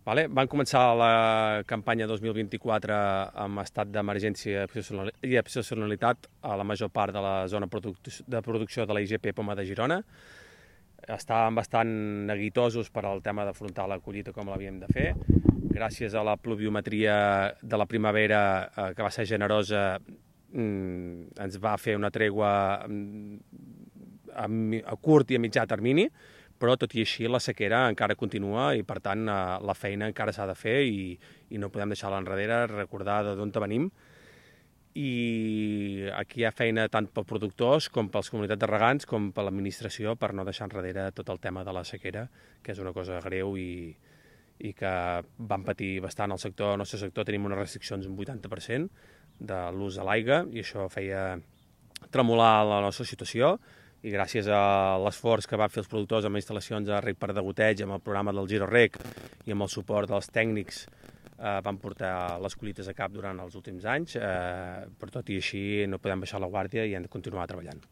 Van començar la campanya 2024 amb estat d'emergència i excepcionalitat a la major part de la zona de producció de la IGP Poma de Girona. Estàvem bastant neguitosos per al tema d'afrontar la collita com l'havíem de fer. Gràcies a la pluviometria de la primavera, que va ser generosa, ens va fer una tregua a curt i a mitjà termini, però tot i així la sequera encara continua i per tant la feina encara s'ha de fer i no podem deixar-la enrere, recordar d'on venim. I aquí hi ha feina tant pels productors com pels comunitats de regants com per l'administració per no deixar enrere tot el tema de la sequera, que és una cosa greu i que van patir bastant al sector. Al nostre sector tenim unes restriccions d'un 80% de l'ús de l'aigua i això feia tremolar la nostra situació. I gràcies a l'esforç que van fer els productors amb instal·lacions de reg per degoteig, amb el programa del Giro Reg i amb el suport dels tècnics, van portar les collites a cap durant els últims anys, però tot i així no podem baixar la guàrdia i hem de continuar treballant.